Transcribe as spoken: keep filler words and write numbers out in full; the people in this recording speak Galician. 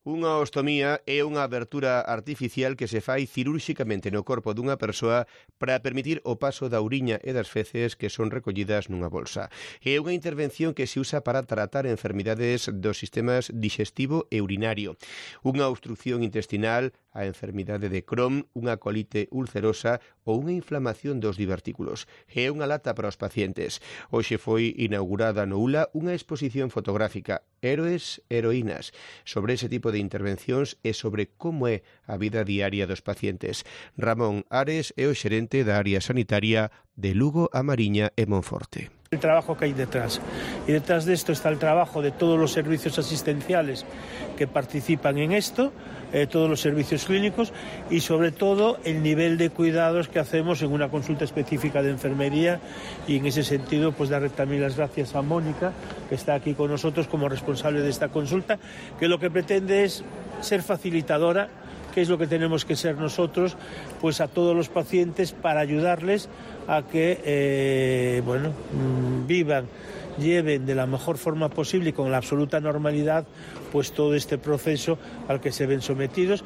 Unha ostomía é unha abertura artificial que se fai cirúrxicamente no corpo dunha persoa para permitir o paso da uriña e das feces que son recollidas nunha bolsa. É unha intervención que se usa para tratar enfermidades dos sistemas digestivo e urinario. Unha obstrucción intestinal, a enfermidade de Crohn, unha colite ulcerosa ou unha inflamación dos divertículos. É unha lata para os pacientes. Hoxe foi inaugurada no U L A unha exposición fotográfica, Héroes, Heroínas, sobre ese tipo de intervencións e sobre como é a vida diaria dos pacientes. Ramón Ares é o xerente da área sanitaria de Lugo, A Mariña e Monforte. El trabajo que hay detrás. Y detrás de esto está el trabajo de todos los servicios asistenciales que participan en esto, eh, todos los servicios clínicos y sobre todo el nivel de cuidados que hacemos en una consulta específica de enfermería, y en ese sentido pues darle también las gracias a Mónica, que está aquí con nosotros como responsable de esta consulta, que lo que pretende es ser facilitadora, que es lo que tenemos que ser nosotros, pues a todos los pacientes, para ayudarles a que eh, bueno, vivan, lleven de la mejor forma posible y con la absoluta normalidad pues todo este proceso al que se ven sometidos.